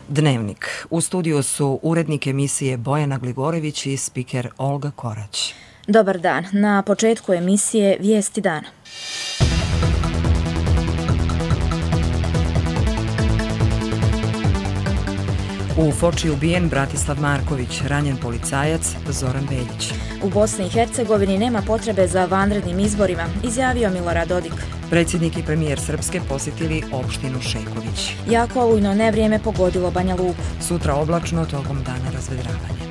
Dnevnik. U studiju su urednik emisije Bojana Gligorević i spiker Olga Korać. Dobar dan. Na početku emisije Vijesti dana. U Foči ubijen Bratislav Marković, ranjen policajac Zoran Veljić. U Bosni i Hercegovini nema potrebe za vanrednim izborima, izjavio Milorad Dodik. Predsjednik i premijer Srpske posjetili opštinu Šeković. Jako olujno nevrijeme pogodilo Banja Luku. Sutra oblačno, tokom dana razvedravanje.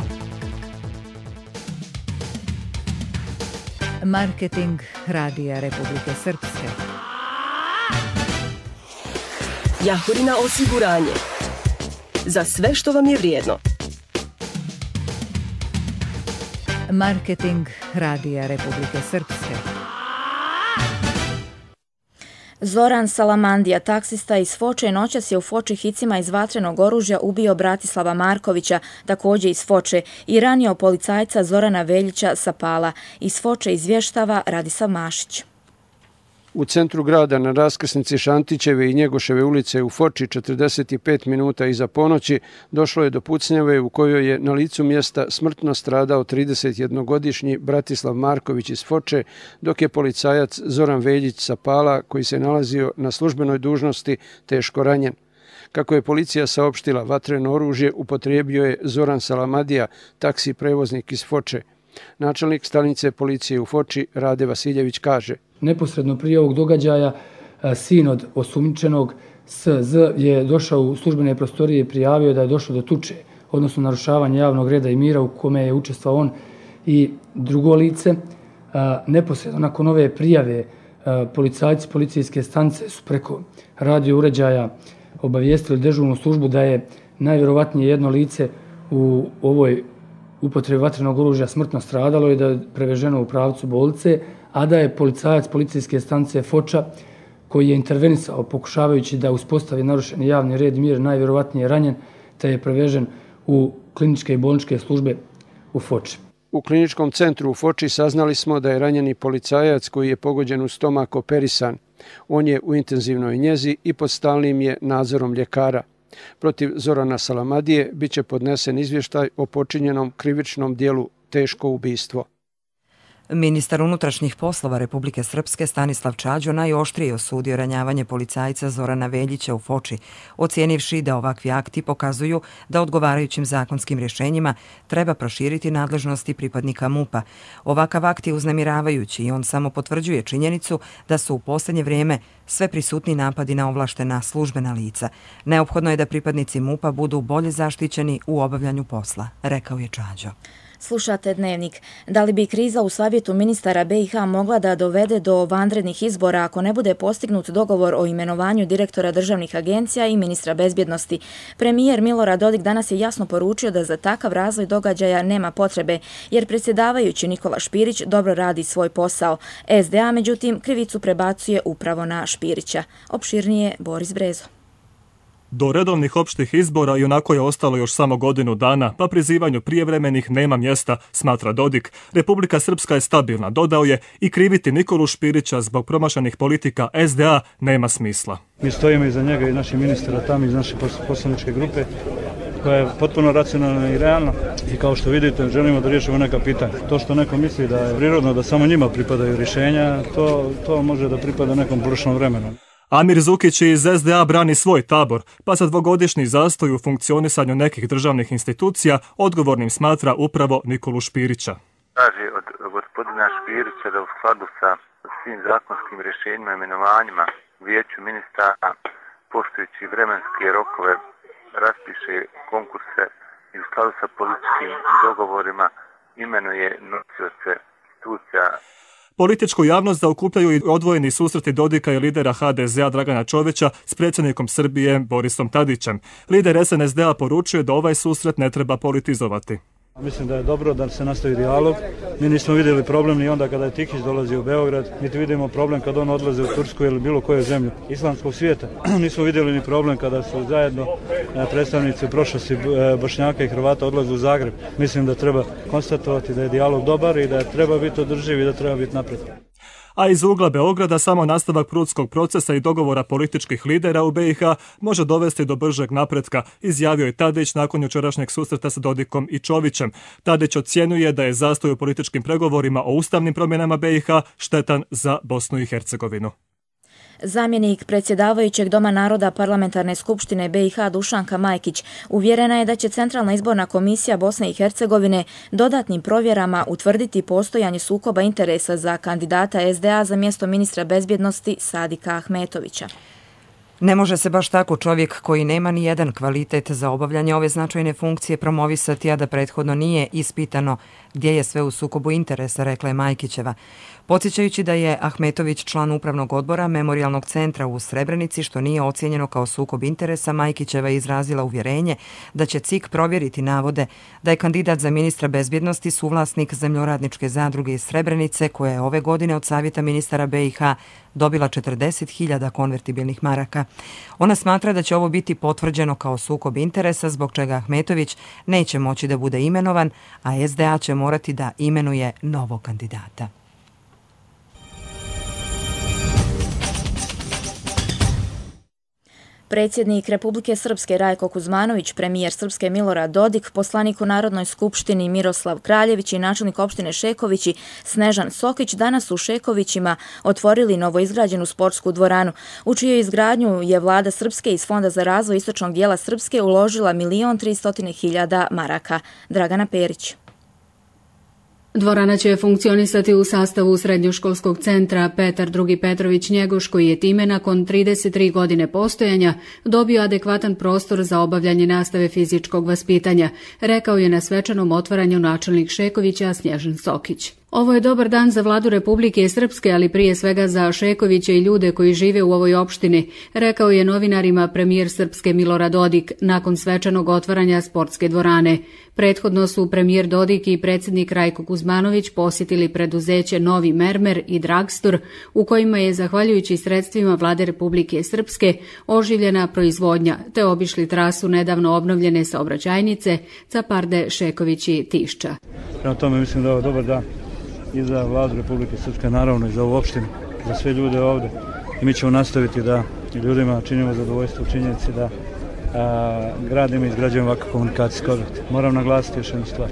Marketing Radija Republike Srpske. Jahorina osiguranje. Za sve što vam je vrijedno. Marketing Radija Republike Srpske. Zoran Salamandija, taksista iz Foče, noćas je u Foči hicima iz vatrenog oružja ubio Bratislava Markovića, također iz Foče, i ranio policajca Zorana Veljića sa Pala. Iz Foče izvještava Radislav Mašić. U centru grada na raskrsnici Šantićeve i Njegoševe ulice u Foči 45 minuta iza ponoći došlo je do pucnjave u kojoj je na licu mjesta smrtno stradao 31-godišnji Bratislav Marković iz Foče, dok je policajac Zoran Veljić sa Pala, koji se nalazio na službenoj dužnosti, teško ranjen. Kako je policija saopštila, vatreno oružje upotrijebio je Zoran Salamadija, taksi prevoznik iz Foče. Načelnik stanice policije u Foči, Rade Vasiljević, kaže: Neposredno prije ovog događaja sin od osumnjičenog SZ je došao u službene prostorije i prijavio da je došlo do tuče, odnosno narušavanja javnog reda i mira u kome je učestvovao on i drugo lice. Neposredno nakon ove prijave policajci policijske stanice su preko radio uređaja obavijestili dežurnu službu da je najvjerovatnije jedno lice u ovoj upotrebi vatrenog oružja smrtno stradalo i da je preveženo u pravcu bolnice, a da je policajac policijske stanice Foča, koji je intervenisao pokušavajući da uspostavi narušeni javni red i mir, najvjerovatnije ranjen, te je prevežen u kliničke i bolničke službe u Foči. U kliničkom centru u Foči saznali smo da je ranjeni policajac koji je pogođen u stomak operisan. On je u intenzivnoj njezi i pod stalnim je nadzorom ljekara. Protiv Zorana Salamadije biće podnesen izvještaj o počinjenom krivičnom dijelu teško ubistvo. Ministar unutrašnjih poslova Republike Srpske Stanislav Čađo najoštrije osudio ranjavanje policajca Zorana Veljića u Foči, ocijenivši da ovakvi akti pokazuju da odgovarajućim zakonskim rješenjima treba proširiti nadležnosti pripadnika MUP-a. Ovakav akt je uznemiravajući i on samo potvrđuje činjenicu da su u posljednje vrijeme sve prisutni napadi na ovlaštena službena lica. Neophodno je da pripadnici MUP-a budu bolje zaštićeni u obavljanju posla, rekao je Čađo. Slušate Dnevnik. Da li bi kriza u savjetu ministara BiH mogla da dovede do vanrednih izbora ako ne bude postignut dogovor o imenovanju direktora državnih agencija i ministra bezbjednosti? Premijer Milorad Dodik danas je jasno poručio da za takav razvoj događaja nema potrebe, jer predsjedavajući Nikola Špirić dobro radi svoj posao. SDA, međutim, krivicu prebacuje upravo na Špirića. Opširnije Boris Brezo. Do redovnih opštih izbora i onako je ostalo još samo godinu dana, pa prizivanju prijevremenih nema mjesta, smatra Dodik. Republika Srpska je stabilna, dodao je, i kriviti Nikolu Špirića zbog promašenih politika SDA nema smisla. Mi stojimo iza njega i naših ministara tamo iz naše poslaničke grupe, koja je potpuno racionalna i realna, i kao što vidite želimo da riješimo neka pitanja. To što neko misli da je prirodno da samo njima pripadaju rješenja, to može da pripada nekom prošlom vremenu. Amir Zukić iz SDA brani svoj tabor, pa za dvogodišnji zastoj u funkcionisanju nekih državnih institucija odgovornim smatra upravo Nikolu Špirića. Traži od gospodina Špirića da u skladu sa svim zakonskim rješenjima i imenovanjima u vijeću ministara, poštujući vremenske rokove, raspiše konkurse i u skladu sa političkim dogovorima imenuje nosioce institucija. Političku javnost zaokupljaju i odvojeni susreti Dodika i lidera HDZ-a Dragana Čovića s predsjednikom Srbije Borisom Tadićem. Lider SNSD-a poručuje da ovaj susret ne treba politizovati. Mislim da je dobro da se nastavi dijalog. Mi nismo vidjeli problem ni onda kada je Tikić dolazio u Beograd, niti vidimo problem kada on odlaze u Tursku ili bilo koju zemlju islamskog svijeta. Nismo vidjeli ni problem kada su zajedno predstavnici prošlosti Bošnjaka i Hrvata odlaze u Zagreb. Mislim da treba konstatovati da je dijalog dobar i da treba biti održiv i da treba biti napred. a iz ugla Beograda samo nastavak Prudskog procesa i dogovora političkih lidera u BiH može dovesti do bržeg napretka, izjavio je Tadić nakon jučerašnjeg susreta sa Dodikom i Čovićem. Tadić ocjenjuje da je zastoj u političkim pregovorima o ustavnim promjenama BiH štetan za Bosnu i Hercegovinu. Zamjenik predsjedavajućeg Doma naroda Parlamentarne skupštine BiH Dušanka Majkić uvjerena je da će Centralna izborna komisija Bosne i Hercegovine dodatnim provjerama utvrditi postojanje sukoba interesa za kandidata SDA za mjesto ministra bezbjednosti Sadika Ahmetovića. Ne može se baš tako čovjek koji nema ni jedan kvalitet za obavljanje ove značajne funkcije promovisati, a da prethodno nije ispitano gdje je sve u sukobu interesa, rekla je Majkićeva. Podsjećajući da je Ahmetović član upravnog odbora Memorijalnog centra u Srebrenici, što nije ocijenjeno kao sukob interesa, Majkićeva je izrazila uvjerenje da će CIK provjeriti navode da je kandidat za ministra bezbjednosti suvlasnik Zemljoradničke zadruge iz Srebrenice, koja je ove godine od Savjeta ministara BiH dobila 40.000 konvertibilnih maraka. Ona smatra da će ovo biti potvrđeno kao sukob interesa, zbog čega Ahmetović neće moći da bude imenovan, a SDA će morati da imenuje novog kandidata. Predsjednik Republike Srpske Rajko Kuzmanović, premijer Srpske Milorad Dodik, poslanik u Narodnoj skupštini Miroslav Kraljević i načelnik opštine Šekovići Snežan Sokić danas u Šekovićima otvorili novoizgrađenu sportsku dvoranu, u čijoj izgradnju je vlada Srpske iz Fonda za razvoj istočnog dijela Srpske uložila 1.300.000 maraka. Dragana Perić. Dvorana će funkcionisati u sastavu srednjoškolskog centra Petar II. Petrović Njegoš, koji je time nakon 33 godine postojanja dobio adekvatan prostor za obavljanje nastave fizičkog vaspitanja, rekao je na svečanom otvaranju načelnik Šekovića Snježan Sokić. Ovo je dobar dan za vladu Republike Srpske, ali prije svega za Šekovića i ljude koji žive u ovoj opštini, rekao je novinarima premijer Srpske Milorad Dodik nakon svečanog otvaranja sportske dvorane. Prethodno su premijer Dodik i predsjednik Rajko Kuzmanović posjetili preduzeće Novi Mermer i Dragstor, u kojima je, zahvaljujući sredstvima vlade Republike Srpske, oživljena proizvodnja, te obišli trasu nedavno obnovljene saobraćajnice Caparde, Šeković i Tišća. Prema tome mislim da je ovo dobar dan i za vladu Republike Srpske, naravno i za ovu opštinu, za sve ljude ovdje. I mi ćemo nastaviti da ljudima činimo zadovoljstvo u činjenici da gradimo i izgrađujemo ovakav komunikacijski objekt. Moram naglasiti još jednu stvar.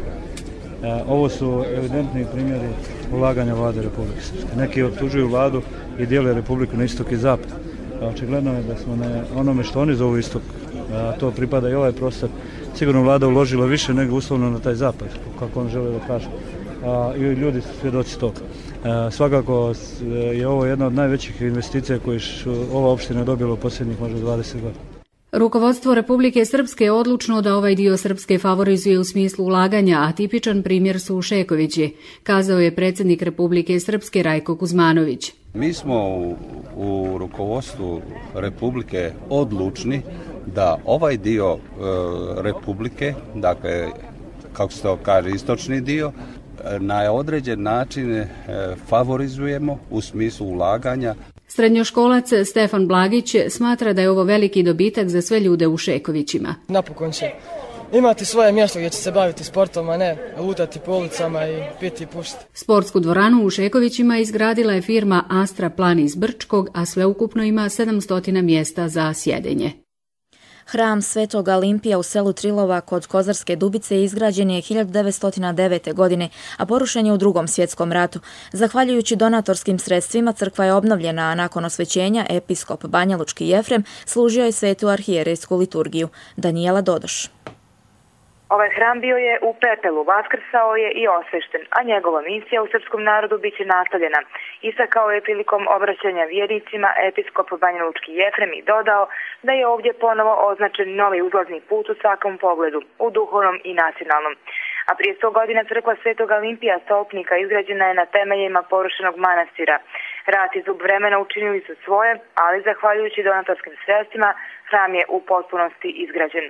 Ovo su evidentni primjeri ulaganja vlade Republike Srpske. Neki optužuju vladu i dijele Republiku na istok i zapad. Očigledno je da smo na onome što oni zovu istok, to pripada i ovaj prostor, sigurno vlada uložila više nego uslovno na taj zapad, kako on žele da kaže. I ljudi su svjedoci toga. Svakako je ovo jedna od najvećih investicija koje ova opština dobila u posljednjih možda 20 godina. Rukovodstvo Republike Srpske je odlučno da ovaj dio Srpske favorizuje u smislu ulaganja, a tipičan primjer su Šekovići, kazao je predsjednik Republike Srpske Rajko Kuzmanović. Mi smo u rukovodstvu Republike odlučni da ovaj dio Republike, dakle, kako se to kaže, istočni dio, na određen način favorizujemo u smislu ulaganja. Srednjoškolac Stefan Blagić smatra da je ovo veliki dobitak za sve ljude u Šekovićima. Napokon će imati svoje mjesto gdje će se baviti sportom, a ne lutati po ulicama i piti i pušiti. Sportsku dvoranu u Šekovićima izgradila je firma Astra Plan iz Brčkog, a sveukupno ima 700 mjesta za sjedenje. Hram Svetog Alimpija u selu Trilova kod Kozarske Dubice izgrađen je 1909. godine, a porušen je u Drugom svjetskom ratu. Zahvaljujući donatorskim sredstvima crkva je obnovljena, a nakon osvećenja episkop Banjalučki Jefrem služio je svetu arhijerejsku liturgiju. Danijela Dodoš. Ovaj hram bio je u pepelu, vaskrsao je i osvešten, a njegova misija u srpskom narodu bit će nastavljena. Istakao je prilikom obraćanja vjernicima episkop Banjalučki Jefrem i dodao da je ovdje ponovo označen novi uzlazni put u svakom pogledu, u duhovnom i nacionalnom. A prije 100 godina crkva Svetog Alimpija Stolpnika izgrađena je na temeljima porušenog manastira. Rat i zub vremena učinili su svoje, ali zahvaljujući donatorskim sredstvima hram je u potpunosti izgrađen.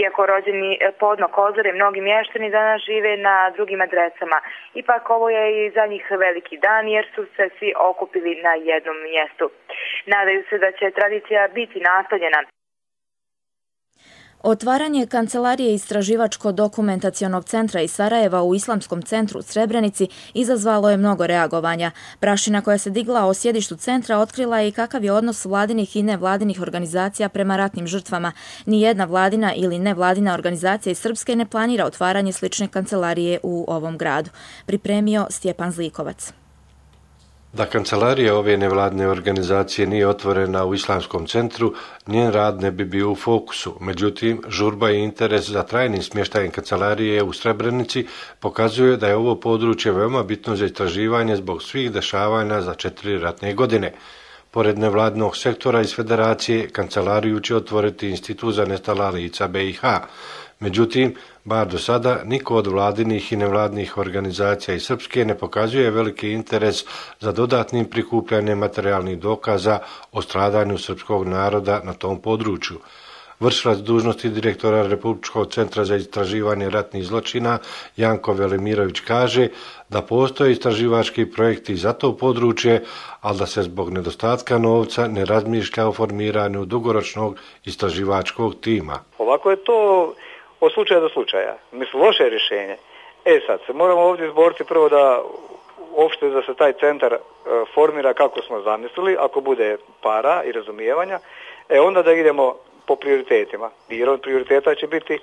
Iako rođeni podno Kozare, mnogi mještani danas žive na drugim adresama. Ipak ovo je i za njih veliki dan jer su se svi okupili na jednom mjestu. Nadaju se da će tradicija biti nastavljena. Otvaranje Kancelarije Istraživačko-dokumentacionog centra iz Sarajeva u Islamskom centru u Srebrenici izazvalo je mnogo reagovanja. Prašina koja se digla o sjedištu centra otkrila je i kakav je odnos vladinih i nevladinih organizacija prema ratnim žrtvama. Nijedna vladina ili nevladina organizacija iz Srpske ne planira otvaranje slične kancelarije u ovom gradu. Pripremio Stjepan Zlikovac. Da kancelarija ove nevladine organizacije nije otvorena u Islamskom centru, njen rad ne bi bio u fokusu. Međutim, žurba i interes za trajnim smještajem kancelarije u Srebrenici pokazuje da je ovo područje veoma bitno za istraživanje zbog svih dešavanja za 4 ratne godine. Pored nevladinog sektora iz Federacije, kancelariju će otvoriti Institut za nestala lica BiH. Međutim, bar do sada, niko od vladinih i nevladnih organizacija iz Srpske ne pokazuje veliki interes za dodatnim prikupljanjem materijalnih dokaza o stradanju srpskog naroda na tom području. Vršilac dužnosti direktora Republičkog centra za istraživanje ratnih zločina Janko Velimirović kaže da postoje istraživački projekti za to područje, ali da se zbog nedostatka novca ne razmišlja o formiranju dugoročnog istraživačkog tima. Ovako je to od slučaja do slučaja. Mislim, loše rješenje. Sad se moramo ovdje izboriti prvo da uopšte da se taj centar formira kako smo zamislili, ako bude para i razumijevanja, onda da idemo po prioritetima. Jer od prioriteta će biti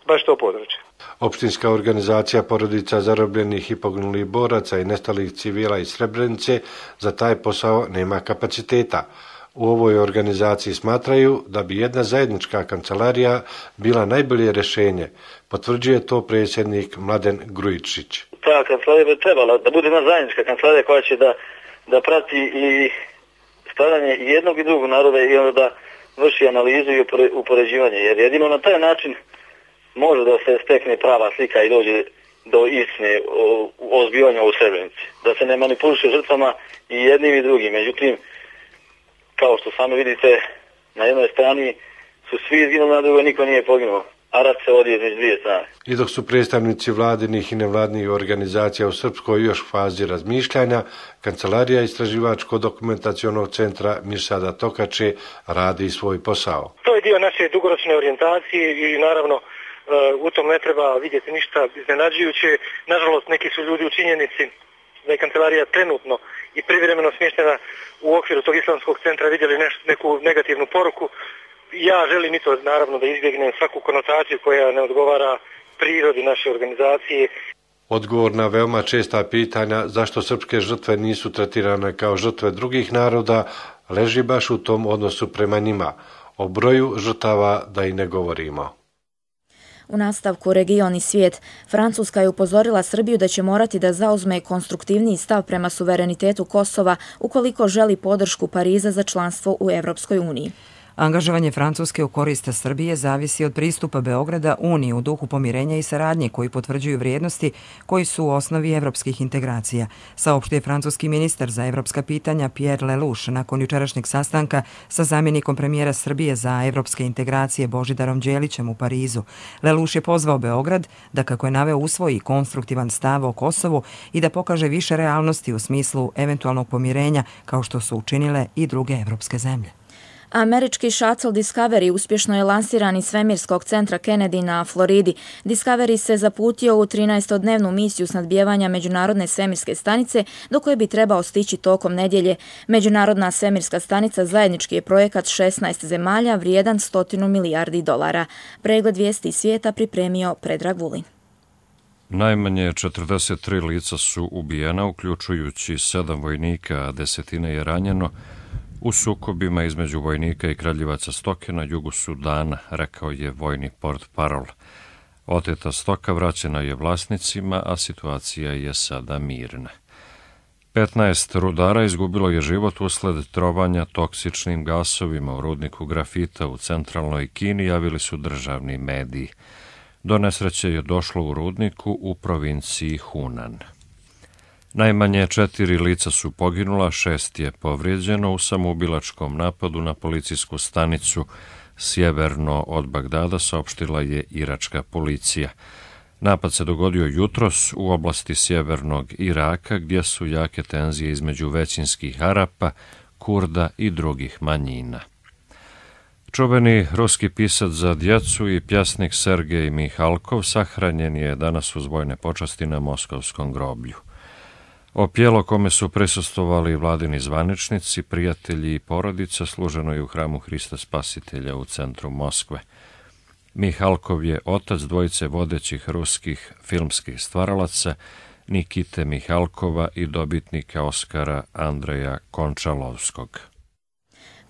baš to područje. Opštinska organizacija porodica zarobljenih i poginulih boraca i nestalih civila iz Srebrenice za taj posao nema kapaciteta. U ovoj organizaciji smatraju da bi jedna zajednička kancelarija bila najbolje rješenje. Potvrđuje to predsjednik Mladen Grujičić. Ta kancelarija bi trebala da bude jedna zajednička kancelarija koja će da prati i stradanje i jednog i drugog naroda i onda da vrši analizu i upoređivanje. Jer jedino na taj način može da se stekne prava slika i dođe do istine o zbivanju u Srebrenici. Da se ne manipuliše žrtvama i jednim i drugim. Međutim, kao što sami vidite, na jednoj strani su svi izginuli, na drugoj niko nije poginuo, a rat se vodi između dvije strane. I dok su predstavnici vladinih i nevladnih organizacija u Srpskoj još u fazi razmišljanja, Kancelarija Istraživačko-dokumentacionog centra Mirsada Tokače radi svoj posao. To je dio naše dugoročne orijentacije i naravno u tom ne treba vidjeti ništa iznenađujuće. Nažalost, neki su ljudi u činjenici da je kancelarija trenutno i privremeno smještena u okviru tog islamskog centra vidjeli neku negativnu poruku. Ja želim i to naravno da izbjegnem svaku konotaciju koja ne odgovara prirodi naše organizacije. Odgovor na veoma česta pitanja zašto srpske žrtve nisu tretirane kao žrtve drugih naroda leži baš u tom odnosu prema njima. O broju žrtava da i ne govorimo. U nastavku region i svijet, Francuska je upozorila Srbiju da će morati da zauzme konstruktivniji stav prema suverenitetu Kosova ukoliko želi podršku Pariza za članstvo u Evropskoj uniji. Angažovanje Francuske u korist Srbije zavisi od pristupa Beograda Uniji u duhu pomirenja i saradnje koji potvrđuju vrijednosti koji su u osnovi evropskih integracija, saopštio je francuski ministar za evropska pitanja Pierre Lelouch nakon jučerašnjeg sastanka sa zamjenikom premijera Srbije za evropske integracije Božidarom Đelićem u Parizu. Lelouch je pozvao Beograd da, kako je naveo, usvoji konstruktivan stav o Kosovu i da pokaže više realnosti u smislu eventualnog pomirenja kao što su učinile i druge evropske zemlje. Američki shuttle Discovery uspješno je lansiran iz svemirskog centra Kennedy na Floridi. Discovery se zaputio u 13-dnevnu misiju snadbijevanja Međunarodne svemirske stanice, do koje bi trebao stići tokom nedjelje. Međunarodna svemirska stanica zajednički je projekat 16 zemalja vrijedan $100 milijardi. Pregled vijesti svijeta pripremio Predrag Vulin. Najmanje 43 lica su ubijena, uključujući 7 vojnika, a 10 je ranjeno u sukobima između vojnika i kraljevaca stoke na jugu Sudana, rekao je vojni portparol. Oteta stoka vraćena je vlasnicima, a situacija je sada mirna. 15 rudara izgubilo je život usled trovanja toksičnim gasovima u rudniku grafita u centralnoj Kini, javili su državni mediji. Do nesreće je došlo u rudniku u provinciji Hunan. Najmanje 4 lica su poginula, 6 je povrijeđeno u samoubilačkom napadu na policijsku stanicu sjeverno od Bagdada, saopštila je iračka policija. Napad se dogodio jutros u oblasti sjevernog Iraka, gdje su jake tenzije između većinskih Arapa, Kurda i drugih manjina. Čuveni ruski pisac za djecu i pjesnik Sergej Mihalkov sahranjen je danas uz vojne počasti na Moskovskom groblju. Opjelo kome su prisustvovali vladini zvaničnici, prijatelji i porodica služeno je u hramu Hrista Spasitelja u centru Moskve. Mihalkov je otac dvojice vodećih ruskih filmskih stvaralaca Nikite Mihalkova i dobitnika Oskara Andreja Končalovskog.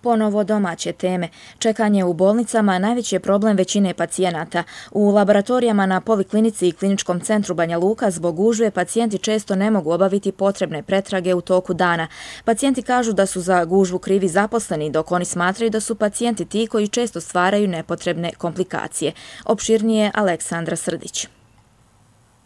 Ponovo domaće teme. Čekanje u bolnicama najveći je problem većine pacijenata. U laboratorijama na Poliklinici i Kliničkom centru Banja Luka zbog gužve pacijenti često ne mogu obaviti potrebne pretrage u toku dana. Pacijenti kažu da su za gužvu krivi zaposleni, dok oni smatraju da su pacijenti ti koji često stvaraju nepotrebne komplikacije. Opširnije Aleksandra Srdić.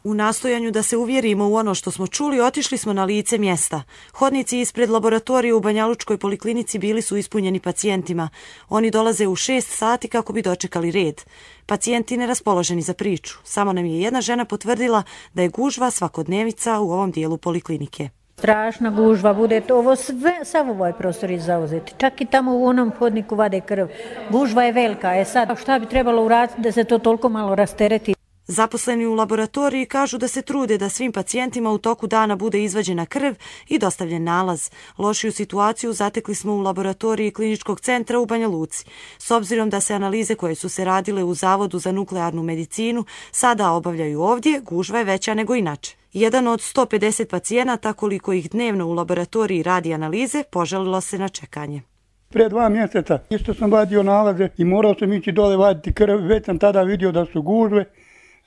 U nastojanju da se uvjerimo u ono što smo čuli, otišli smo na lice mjesta. Hodnici ispred laboratorije u Banjalučkoj poliklinici bili su ispunjeni pacijentima. Oni dolaze u 6 sati kako bi dočekali red. Pacijenti neraspoloženi za priču. Samo nam je jedna žena potvrdila da je gužva svakodnevica u ovom dijelu poliklinike. Strašna gužva bude, ovo sve, sav ovaj prostor je zauzeti. Čak i tamo u onom hodniku vade krv. Gužva je velika. Sad šta bi trebalo uraditi da se to toliko malo rastereti? Zaposleni u laboratoriji kažu da se trude da svim pacijentima u toku dana bude izvađena krv i dostavljen nalaz. Lošiju situaciju zatekli smo u laboratoriji Kliničkog centra u Banja Luci. S obzirom da se analize koje su se radile u Zavodu za nuklearnu medicinu sada obavljaju ovdje, gužva je veća nego inače. Jedan od 150 pacijenata, koliko ih dnevno u laboratoriji radi analize, požalilo se na čekanje. Prije 2 mjeseca isto sam vadio nalaze i morao sam ići dole vaditi krv. Već sam tada vidio da su gužve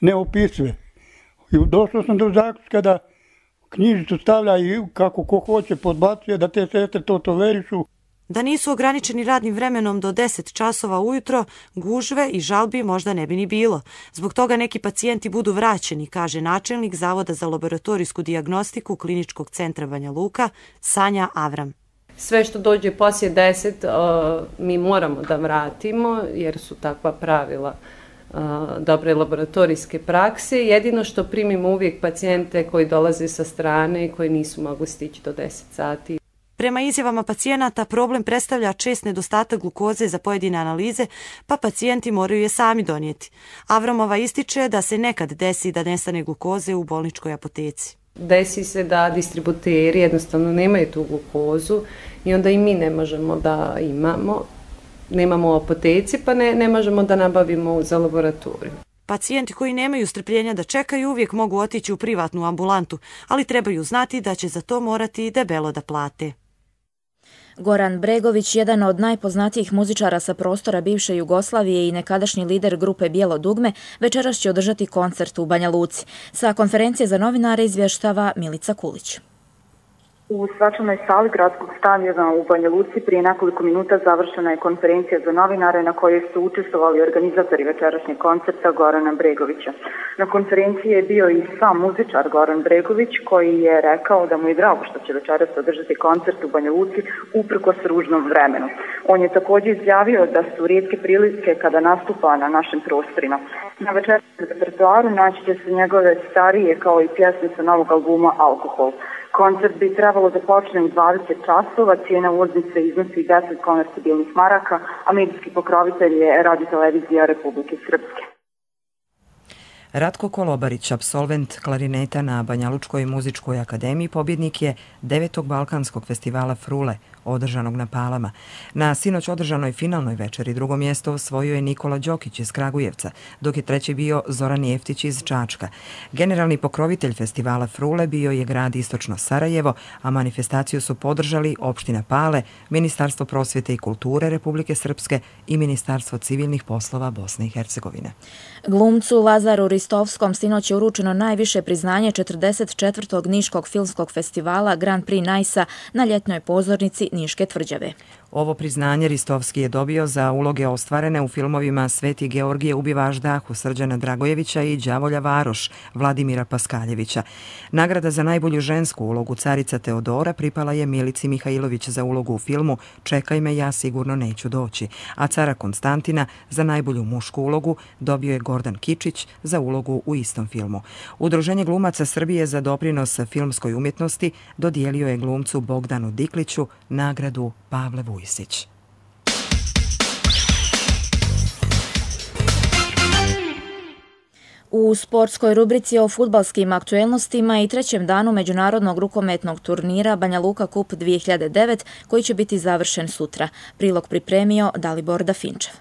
neopisive. I došao sam do zaključka da knjižicu stavlja i kako ko hoće podbacuje, da te sestre to tolerišu. Da nisu ograničeni radnim vremenom do 10 časova ujutro, gužve i žalbi možda ne bi ni bilo. Zbog toga neki pacijenti budu vraćeni, kaže načelnik Zavoda za laboratorijsku dijagnostiku Kliničkog centra Banja Luka, Sanja Avram. Sve što dođe poslije 10 mi moramo da vratimo jer su takva pravila dobre laboratorijske prakse. Jedino što primimo uvijek pacijente koji dolaze sa strane i koji nisu mogli stići do 10 sati. Prema izjavama pacijenata, problem predstavlja čest nedostatak glukoze za pojedine analize, pa pacijenti moraju je sami donijeti. Avramova ističe da se nekad desi da nestane glukoze u bolničkoj apoteci. Desi se da distributeri jednostavno nemaju tu glukozu i onda i mi ne možemo da imamo. Nemamo u apoteci, pa ne možemo da nabavimo za laboratoriju. Pacijenti koji nemaju strpljenja da čekaju uvijek mogu otići u privatnu ambulantu, ali trebaju znati da će za to morati debelo da plate. Goran Bregović, jedan od najpoznatijih muzičara sa prostora bivše Jugoslavije i nekadašnji lider grupe Bijelo dugme, večeras će održati koncert u Banja Luci. Sa konferencije za novinare izvještava Milica Kulić. U svečanoj sali gradskog stadiona u Banja Luci prije nekoliko minuta završena je konferencija za novinare na kojoj su učestvovali organizatori večerašnjeg koncerta Gorana Bregovića. Na konferenciji je bio i sam muzičar Goran Bregović koji je rekao da mu je drago što će večeras održati koncert u Banja Luci uprkos ružnom vremenu. On je također izjavio da su rijetke prilike kada nastupa na našim prostorima. Na večerašnjem repertoaru naći će se njegove starije kao i pjesmice novog albuma Alkohol. Koncert bi trebalo da počne u 20 časova, cijena ulaznice iznosi 10 konvertibilnih maraka, a medijski pokrovitelj je Radio-televizija Republike Srpske. Ratko Kolobarić, apsolvent klarineta na Banjalučkoj muzičkoj akademiji, pobjednik je 9. Balkanskog festivala Frule, održanog na Palama. Na sinoć održanoj finalnoj večeri drugo mjesto osvojio je Nikola Đokić iz Kragujevca, dok je treći bio Zoran Jeftić iz Čačka. Generalni pokrovitelj festivala Frule bio je grad Istočno Sarajevo, a manifestaciju su podržali opština Pale, Ministarstvo prosvjete i kulture Republike Srpske i Ministarstvo civilnih poslova Bosne i Hercegovine. Glumcu Lazaru Ristovskom sinoć je uručeno najviše priznanje 44. Niškog filmskog festivala Grand Prix Najsa na ljetnoj pozornici Niške tvrđave. Ovo priznanje Ristovski je dobio za uloge ostvarene u filmovima Sveti Georgije ubiva Ždahu Srđana Dragojevića i Đavolja Varoš Vladimira Paskaljevića. Nagrada za najbolju žensku ulogu Carica Teodora pripala je Milici Mihajlović za ulogu u filmu Čekaj me, ja sigurno neću doći, a cara Konstantina za najbolju mušku ulogu dobio je Gordan Kičić za ulogu u istom filmu. Udruženje glumaca Srbije za doprinos filmskoj umjetnosti dodijelio je glumcu Bogdanu Dikliću nagradu Pavle Vujsić. U sportskoj rubrici o fudbalskim aktuelnostima i trećem danu međunarodnog rukometnog turnira Banja Luka Kup 2009 koji će biti završen sutra. Prilog pripremio Dalibor Dafinčev.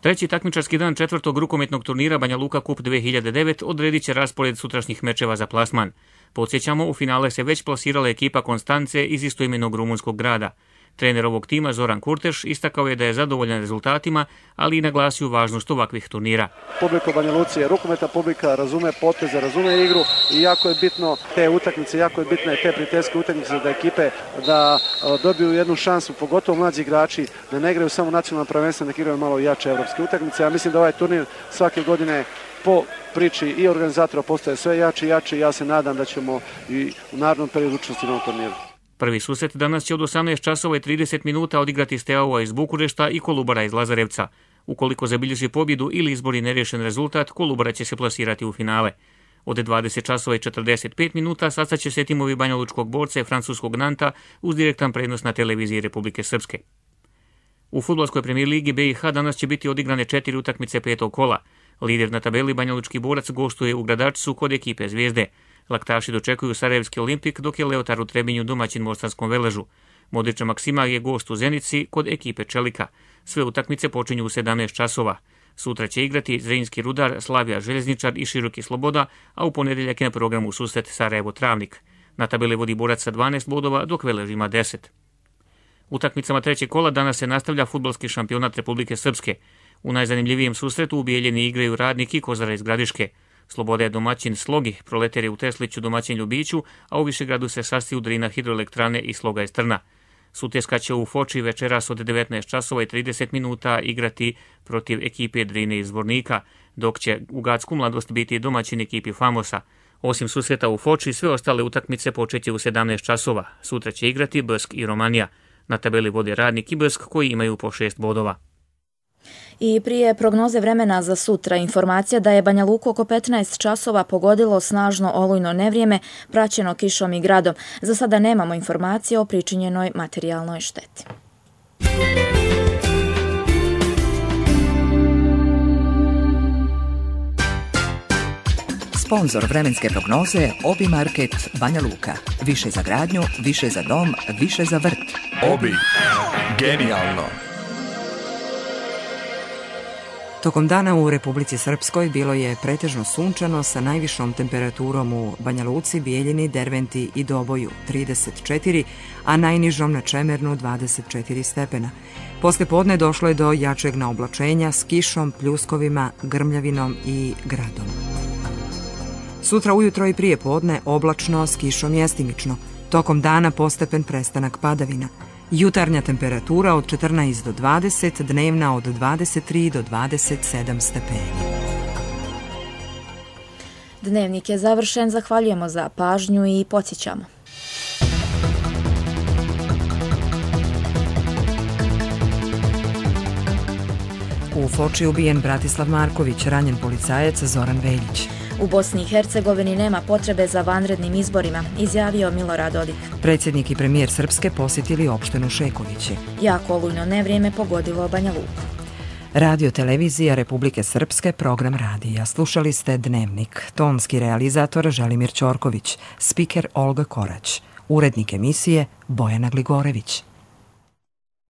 Treći takmičarski dan četvrtog rukometnog turnira Banja Luka Kup 2009 odredit će raspored sutrašnjih mečeva za plasman. Podsjećamo, u finale se već plasirala ekipa Konstance iz istoimenog rumunskog grada. Trener ovog tima Zoran Kurteš istakao je da je zadovoljan rezultatima, ali i naglasio važnost ovakvih turnira. Publika u Banja Luci je rukometna publika, razume poteze, razume igru i jako je bitno te utakmice, jako je bitne te prijateljske utakmice da ekipe da dobiju jednu šansu, pogotovo mlađi igrači, da ne igraju samo nacionalno prvenstvo, nek igraju malo jače evropske utakmice. Ja mislim da ovaj turnir svake godine po priči i organizatora postaje sve jači i jači. Ja se nadam da ćemo i u narednom periodu učestvovati na ovom turniru. Prvi susret danas će od 18 časova i 30 minuta odigrati Steaua iz Bukurešta i Kolubara iz Lazarevca. Ukoliko zabilježi pobjedu ili izbori nerješen rezultat, Kolubara će se plasirati u finale. Od 20 časova i 45 minuta sastaće se timovi banjalučkog borca i francuskog Nanta uz direktan prenos na televiziji Republike Srpske. U fudbalskoj premijer ligi BiH danas će biti odigrane 4 utakmice petog kola. Lider na tabeli banjalučki borac gostuje u Gradačcu kod ekipe Zvijezde. Laktaši dočekuju Sarajevski Olimpik, dok je Leotar u Trebinju domaćin Mostarskom Veležu. Modriča Maksima je gost u Zenici kod ekipe Čelika. Sve utakmice počinju u 17 časova. Sutra će igrati Zrinski Rudar, Slavija Željezničar i Široki Sloboda, a u ponedjeljak je na programu susret Sarajevo Travnik. Na tabeli vodi borac sa 12 bodova, dok Velež ima 10. Utakmicama trećeg kola danas se nastavlja fudbalski šampionat Republike Srpske. U najzanimljivijem susretu u Bijeljini igraju Radnik i Kozara iz Gradiške. Sloboda je domaćin Slogi, Proletar je u Tesliću domaćin Ljubiću, a u Višegradu se sastiju Drina Hidroelektrane i Sloga iz Trna. Sutjeska će u Foči večeras od 19 časova i 30 minuta igrati protiv ekipe Drine iz Zvornika, dok će u Gacku Mladost biti domaćin ekipi Famosa. Osim susreta u Foči, sve ostale utakmice počeće u 17 časova. Sutra će igrati Brsk i Romanija. Na tabeli vode Radnik i Brsk koji imaju po 6 bodova. I prije prognoze vremena za sutra informacija da je Banja Luku oko 15 časova pogodilo snažno olujno nevrijeme praćeno kišom i gradom. Za sada nemamo informacije o pričinjenoj materijalnoj šteti. Sponzor vremenske prognoze Obi Market Banja Luka. Više za gradnju, više za dom, više za vrt. Obi. Genijalno. Tokom dana u Republici Srpskoj bilo je pretežno sunčano sa najvišom temperaturom u Banja Luci, Bijeljini, Derventi i Doboju 34, a najnižom na Čemernu 24 stepena. Posle podne došlo je do jačeg naoblačenja s kišom, pljuskovima, grmljavinom i gradom. Sutra ujutro i prije podne oblačno s kišom mjestimično. Tokom dana postepen prestanak padavina. Jutarnja temperatura od 14 do 20, dnevna od 23 do 27 stepeni. Dnevnik je završen, zahvaljujemo za pažnju i podsjećamo. U Foči ubijen Bratislav Marković, ranjen policajac Zoran Veljić. U Bosni i Hercegovini nema potrebe za vanrednim izborima, izjavio Milorad Dodik. Predsjednik i premijer Srpske posjetili opštinu Šekovići. Jako olujno nevrijeme pogodilo Banja Luku. Radio televizija Republike Srpske, program radija. Slušali ste Dnevnik. Tonski realizator Želimir Ćorković, spiker Olga Korać, urednik emisije Bojana Gligorević.